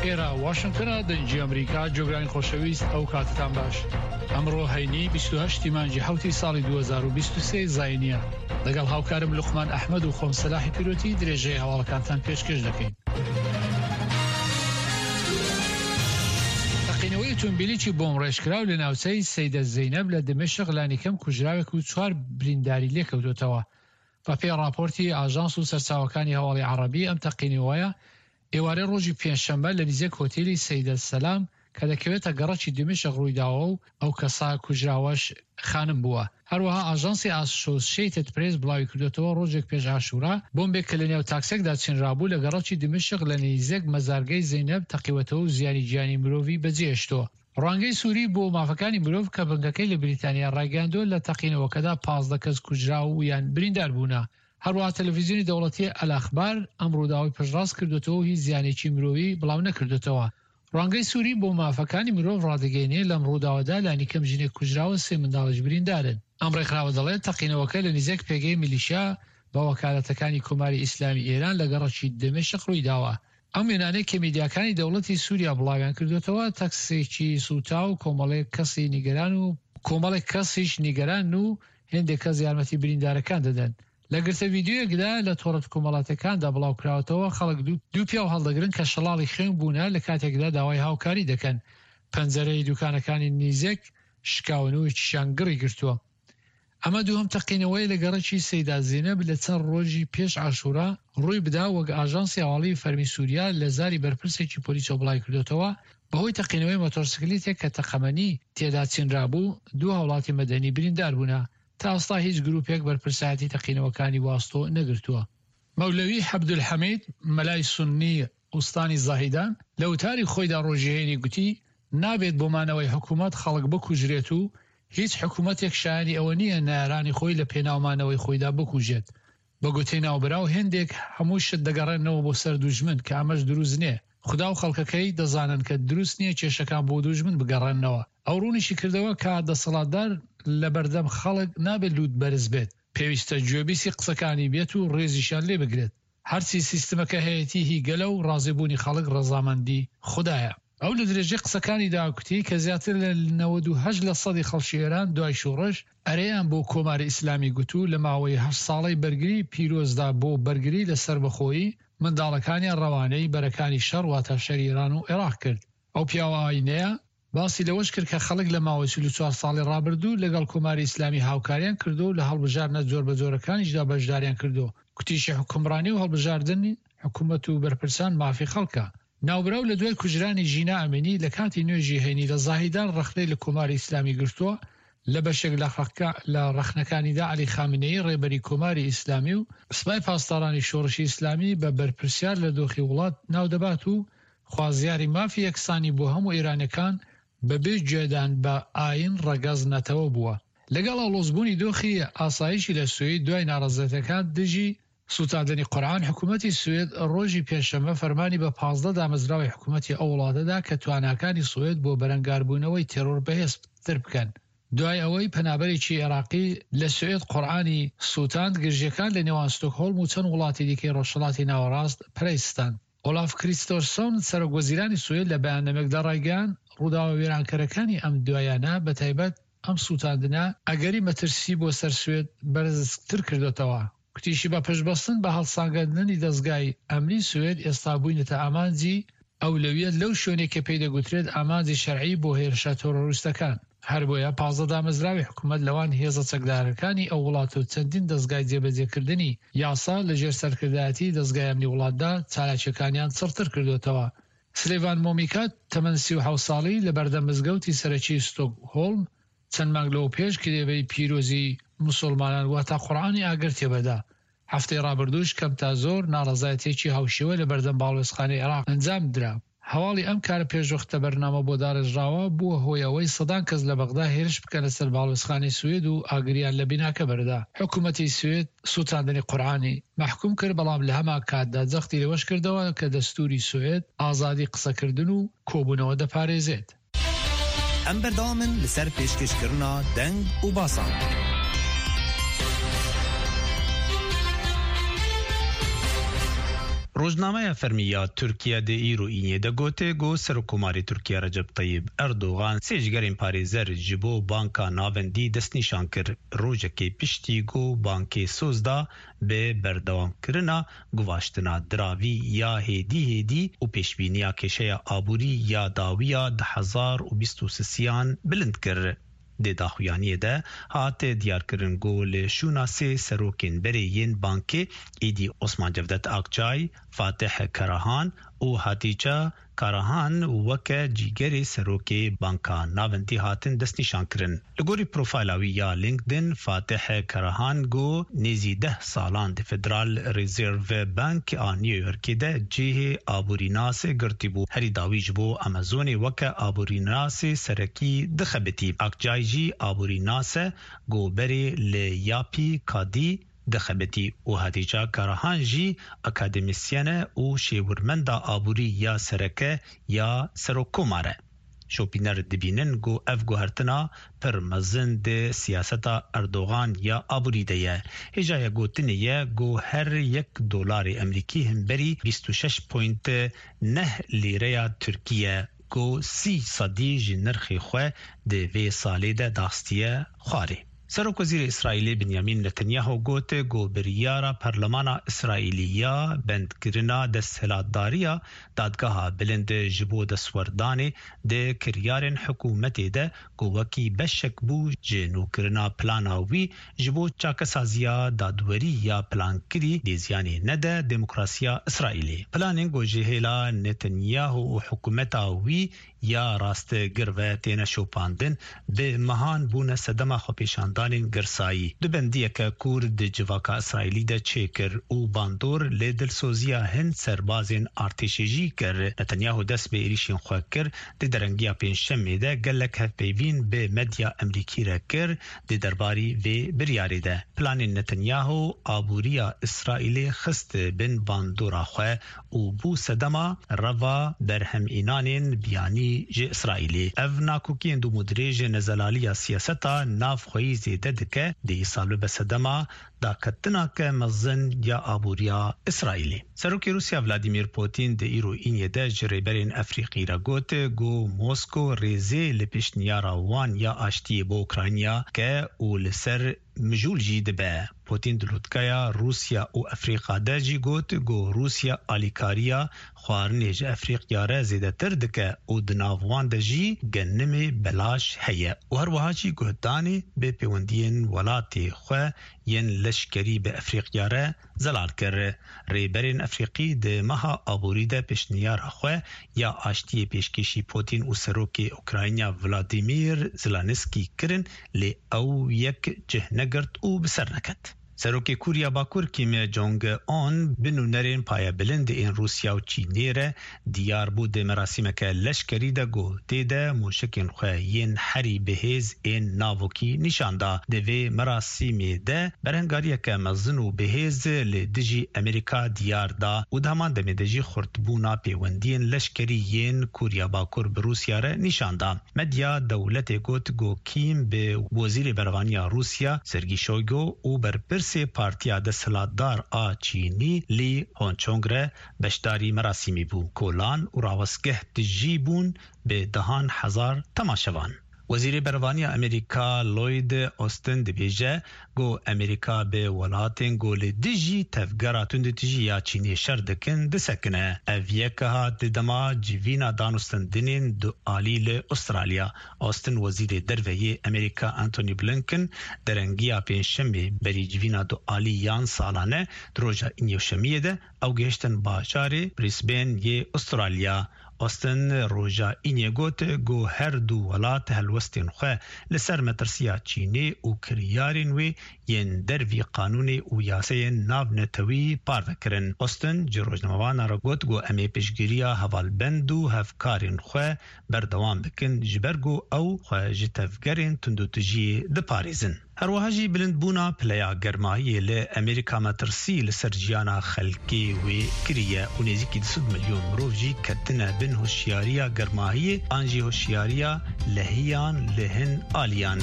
ئێرە واشنگتنە دەنگی ئەمریکا جۆگرانی خۆشەویست ئەو کاتتان باش ئەمڕۆ هەینی 28 مانگی حوتی ساڵی 2023 زینیە لەگەڵ هاوکارم لوقمان ئەحمد و خۆم سەلاحی پیرۆتی درێژەی هەواڵەکانتان پێشکەش دەکەین. تەقینەوەی ئۆتۆمبیلێکی بۆمڕێژکراو لە ناوچەی سەیدە زەینەب لە دمشق لانیکەم کوژراوێک و چوار برینداری لێکەوتووەتەوە. بەپێی ڕاپۆرتی ئاژانس و سەرچاوەکانی هەواڵی عەڕەبی ئەم تەقینەوەیە ئێوارەی ڕۆژی پێنجشەممە لە نزیک هۆتێلی سەیدە سەلام کە دەکەوێتە گەڕەکی دیمەشق ڕوویداوە و ئەو کەسە کوژراوەش خانم بووە. هەروەها ئاژانسی ئاسۆشیەیتد پرێس بڵاویکردۆتەوە ڕۆژێک پێش عاشورا بۆمبێک کە لەنێو تاکسێکدا چنرابوو لە گەڕەکی دیمەشق لە نیزک مەزارگەی زەینەب تەقیوەتەوە و زیانی گیانی مرۆڤی بەجێهێشتووە. ڕوانگەی سوری بۆ مافەکانی مرۆڤ کە بنکەکەی لە بریتانیا ڕایگەیاندووە لە تەقینەوەکەدا 15 کەس کوژراو و یان بریندار بوونە. هەروەها تەلەفیزیۆنی دەوڵەتی ئەلئەخبار ئەم ڕووداوەی پشتڕاست کردۆتەوە و هیچ زیانێکی مرۆیی بڵاو نەکردۆتەوە. ڕوانگەی سوری بۆ مافەکانی مرۆڤ ڕادەگەیەنێ لەم ڕووداوەدا لانیکەم ژنێک کوژراوە سێ منداڵیش بریندارن. ئەم ڕێکخراوە دەڵێت تەقینەوەکە لە نزیک پێگەی میلیشیا بە وەکالەتەکانی کۆماری ئیسلامی ئێران لە گەڕەکی دمشق ڕوویداوە. ئەم وێنانەی کە میدیاکانی دەوڵەتی سوریا بڵاویان کردووەتەوە تەکسێکی سووتاو و کۆمەڵێک کەسی نیگەران و کۆمەڵێک کەسیش نیگەرانن و هێندێک کەس یارمەتی بریندارەکان دەدەن. لە گرتە ڤیدیۆیەکدا لە تۆڕە کۆمەڵاتیەکاندا بڵاوکراوەتەوە، خەڵک دوو پیاو هەڵدەگرن کە شەڵاڵی خوێن بوونە لە کاتێکدا داوای هاوکاری دەکەن. پەنجەرەی دوکانەکانی نیزێک شکاون و یەکیشیان گڕی گرتووە. ئەمە دووهەم تەقینەوەیە لە گەڕەکی سەیدا زینەب لە چەند ڕۆژی پێش عاشورا ڕووی بدا، وەک ئاژانسی هەواڵیی فەرمی سوریا لە زاری بەرپرسێکی پۆلیسەوە بڵاویکردۆتەوە، بەهۆی تەقینەوەی مۆتۆرسکلیتێک کە تەقەمەنی تێدا چنرابوو، دوو هاوڵاتی مەدەنی بریندار بوونە. تا ئێستا هیچ گروپێک بەرپرسایەتی تەقینەوەکانی واستۆ نەگرتووە. مەولەوی عەبدولحەمید، مەلای سوننی ئوستانی زاهیدان، لە وتاری خۆیدا ڕۆژی هەینی گوتی، نابێت بۆ مانەوەی حکومەت خەڵک بکوژرێت و هیچ حکومەتێک شایەنی ئەوە نییە نەیارانی خۆی لە پێناو مانەوەی خۆیدا بکوژێت. بە گوتەی ناوبراو هێندێک هەموو شت دەگەڕێننەوە بۆ سەر دوژمن کە ئەمەش دروست نییە. خودا و خەڵکەکەی دەزانن کە دروست نییە کێشەکان بۆ دوژمن بگەڕێننەوە. ئەو ڕوونیشی کردەوە کە دەسەڵاتدار لەبەردەم خەڵک نابێت لووت بەرز بێت، پێویستە گوێبیستی قسەکانی بێت و ڕێزیشیان لێ بگرێت. هەرچی سیستمەکە هەیەتی هی گەلە و ڕازیبوونی خەڵک ڕەزامەندی خودایە. ئەو لە درێژەی قسەکانیدا کوتی کە زیاتر لە 98 لە سەدی خەڵکی ئێران دوای شۆڕش ئەرێیان بۆ کۆماری ئیسلامی گوت و لە ماوەی هەشت ساڵەی بەرگری پیرۆزدا بۆ بەرگری لە سەربەخۆیی منداڵەکانیان ڕەوانەی بەرەکانی شەڕ واتە شەری ئێران و عێراق کرد. ئەو پیاوە ئایینەیە باسی لەوەش کرد کە خەڵک لە ماوەی 44 ساڵی ڕابردوو لەگەڵ کۆماری ئیسلامی هاوکاریان کردووە و لە هەڵبژاردنە جۆربەجۆرەکانیشدا بەشداریان کردووە، کوتیشی حوکمڕانی و هەڵبژاردنی حکومەت و بەرپرسان مافی خەڵکە. ناوبراو لە دوای کوژرانی ژینا ئەمینی لە کاتی نوێژی هەینی لە زاهیدان ڕەخنەی لە کۆماری ئیسلامی گرتووە، لە بەشێک لە ڕەخنەکانیدا عەلی خامنەیی ڕێبەری کۆماری ئیسلامی و سپای پاسدارانی شۆڕشی ئیسلامی بە بەرپرسیار لە دۆخی وڵات ناو دەبات و خوازیاری مافی یەکسانی بۆ هەموو ئێرانیەکان بە بێ گوێدان بە ئایین، ڕەگەز، نەتەوە بووە. لەگەڵ ئاڵۆزبوونی دۆخی ئاسایشی لە سوید دوای ناڕەزایەتیەکان دژی سوتاندنی قورئان، حکومەتی سوید ڕۆژی پێنجشەممە فەرمانی بە 15 دامەزراوەی حکومەتی ئەو وڵاتە دا کە تواناکانی سوید بۆ بەرەنگاربوونەوەی تێرۆر بەهێزتر بکەن. دوای ئەوەی پەنابەرێکی عێراقی لە سوئێد قورئانی سوتاند، گرژییەکان لە نێوان ستۆکهۆڵم و چەند وڵاتی دیکەی ڕۆژهەڵاتی ناوەڕاست پەرەی ستاند. ئۆلاف کریستۆرسۆن، سەرۆک وەزیرانی سوئێد لە بەیاننامەیەکدا ڕایگەیاند، ڕووداوە وێرانکەرەکانی ئەم دوایانە، بەتایبەت ئەم سووتاندنە، ئەگەری مەترسی بۆ سەر سوئێد بەرزتر کردۆتەوە. گوتیشی بە پشتبەستن بە هەڵسانگاندنی دەزگای ئەمنی سوئێد، ئێستا بووینەتە ئامانجی ئەولەویەت لەو شوێنەی کە پێی دەگوترێت ئامانجی شەرعی بۆ هێرشە تێرۆریستەکان. هەربۆیە 15 دامەزراوی حکومەت لەوان هێزە چەکدارەکانی ئەو وڵاتە و چەندین دەزگای جێبەجێکردنی یاسا لەژێر سەرکردایەتی دەزگای ئەمنی وڵاتدا چالاکیەکانیان چڕتر کردۆتەوە. سلێڤان مۆمیکا تەمەن 37 ساڵی لەبەردەم مزگەوتی سەرەکی ستۆکهۆڵم چەند مانگ لەوەپێش کتێبی پیرۆزی موسوڵمانان واتا قورئانی ئاگر تێبەردا. هەفتەی ڕابردووش کەم تا زۆر ناڕەزایەتیەکی هاوشێوە لەبەردەم باڵوێزخانەی عێراق ئەنجامدرا. هەواڵی ئەم کارە پێشوەختە بەرنامە بۆ داڕێژراوە، بووە هۆی ئەوەی سەدان کەس لە بەغدا هێرش بکەنە سەر باڵوێزخانەی سوێد و ئاگریان لە بیناکە بەردا. حکومەتی سوێد سووتاندنی قورئانی مەحکوم کرد، بەڵام لە هەمان کاتدا جەختی لەوەش کردەوە کە دەستووری سوێد ئازادی قسەکردن و کۆبوونەوە دەپارێزێت. ئەم بەردەوامن لەسەر پێشکەشکردنا دەنگ و باسان. Rojnameya fermî ya Tirkiye di îro Înê de got ku Serokkomarê Tirkiye Recep Tayyip Erdogan sê jigerên parêzer ji bo Banka Navendî destnîşan kir, rojekê piştî ku bankê soz da bi berdewamkirina guvaştina diravî ya hêdî hêdî û pêşbîniya kêşeya aborî ya dawiya 2023 an bilind kir. Di daxuyaniyê de hat diyarkirin ku li şûna sê serokên berê yên bankê êdî Osman Cevdet Akçay, Fatih Karahan û Hatîce Karahan weke cîgerê serokê Banka Navendî hatin destnîşankirin. Li gorî profayla wî ya LinkedIn Fatih Karahan ku nêzî deh salan di Federal Reserve Bank a New Yorkê de cihê aborînas girtîbû, herî dawî ji bo Amazonê weke aborînasê serekî dixebitî. Akçay jî aborînas e ku berê li Yapi Kadi dixebitî û Hatîca Karahan jî akademîsyen e û şêwirmenda aborî ya sereke ya serokkomar e. Şopîner dibînin ku ev guhertina pir mezin di siyaseta Erdogan ya aborî de ye. Hêjaya gotinê ye ku her yek dolarê Emrîkî himberî 26.9 lîreya Tirkî ye ku 30 sedî ji nirxê xwe di vê salê de daxistiye xwarê. Serokwezîrê Îsraîlê Binyamîn Netanyahu got ku biryara Parlemana Îsraîlî ya bendkirina desthilatdariya Dadgeha Bilind ji bo destwerdanê di kiryarên hikûmetê de ku wekî beşek bû ji nûkirina plana wî ji bo çakesaziya dadwerî ya plankirî dê ziyanê nede demokrasiya Îsraîlê. Planên ku ji hêla Netanyahu û hikûmeta wî ya rastgir ve têne şopandin, bi mehan bûne sedema xwepêşandanên girsayî. Du bendiyeke kûr di civaka Îsraîlî de çêkir û bandor li dilsoziya hin serbazên artêşê jî kir. Netanyahu dest bi êrîşên xwe kir, di derengiya Pêncşemê de gelek hevpeyvîn bi medya Emrîkî re kir di derbarî vê biryarê de. Planên Netanyahu aboriya Îsraîlê xist bin bandora xwe û bû sedema reva berhemînanên biyanî ji Îsraîlê. Ev nakokiyên dûmûdirêj nezelaliya siyaseta navxweyî zêde dike, dê îsal bibe sedema daketinake mezin ya aboriya Îsraîlê. Serokê Rûsya Vladimir Putin di îro Îniyê de ji rêberên Efrîqî re got ku Moskow rêzê li pêşniyara wan ya aştiyê bo Ukrayna ke û li ser mijûl jî dibe. Putîn di lûtkeya Rûsya û Efrîqa de jî got ku Rûsya alîkariya xwarinê ji Efrîqya re zêdetir dike û di nav wan de jî genimê belaş heye û her wiha jî guhdanê bi pêwendiyên welatê xwe yên leşkerî bi Efrîqya re zelal kir. Rêberên Efrîqî di meha aborî de pêşniyara xwe ya aştiyê pêşkêşî Putîn û Serokê Ukrayna Vladimir Zelenskiy kirin lê ew yek cih negirt û bi ser neket. Serokê Koriya Bakur Kim Jong Un bi nûnerên payebilind ên Rûsya û Çînê re diyar bû di merasîmeke leşkerî de ku tê de moşekên xwe yên herî bihêz ên navokî nîşan da. Di vê merasîmê de berhengariyeke mezin û bihêz li dijî Amerîka diyar da û di heman demê de jî xurtbûna pêwendiyên leşkerî yên Koriya Bakur bi Rûsya re nîşan da. Medya dewletê got ku Kim bi Wezîrê Berevaniya Rûsya Sergî Şoygo û berpirsê Partiya Desthilatdar a Çînî Li Honchong re beşdarî merasîmê bû. Kolan û rawestgeh tijî bûn bi dehan hezar temaşevan. Wezîrê Berevaniya Amerîka Lloyd Austin dibêje ku Amerîka bi welatên ku li dijî tevgera tundûtijî ya Çînê şer dikin disekine. Ev yek hat di dema civîna danûstendinên dualî li Ustralya. Austin Wezîrê Derve yê Amerîka Antony Blinken derengiya Pêncşemê berî civîna dualî yan salane di roja Înê û Şemiyê de ew gihiştin bajarê Brisbane yê Ustralya. Austin roja Înê got ku her du welat helwestên xwe li ser metirsiya Çînê û kiryarên wê yên dervî qanûnê û yaseyên navnetewî parve kirin. Austin ji rojnamevanan re got ku em ê piştgiriya hevalbend û hevkarên xwe berdewam bikin ji ber ku ew xwe ji tevgerên tundûtijiyê diparêzin. Herwiha jî bilindbûna pileya germahiyê li Amerîka metirsî li ser jiyana xelkê wê kiriye û nêzîkî 200 milyon mirov jî ketine bin hişyariya germahiyê an jî hişyariya lehiyan li hin aliyan.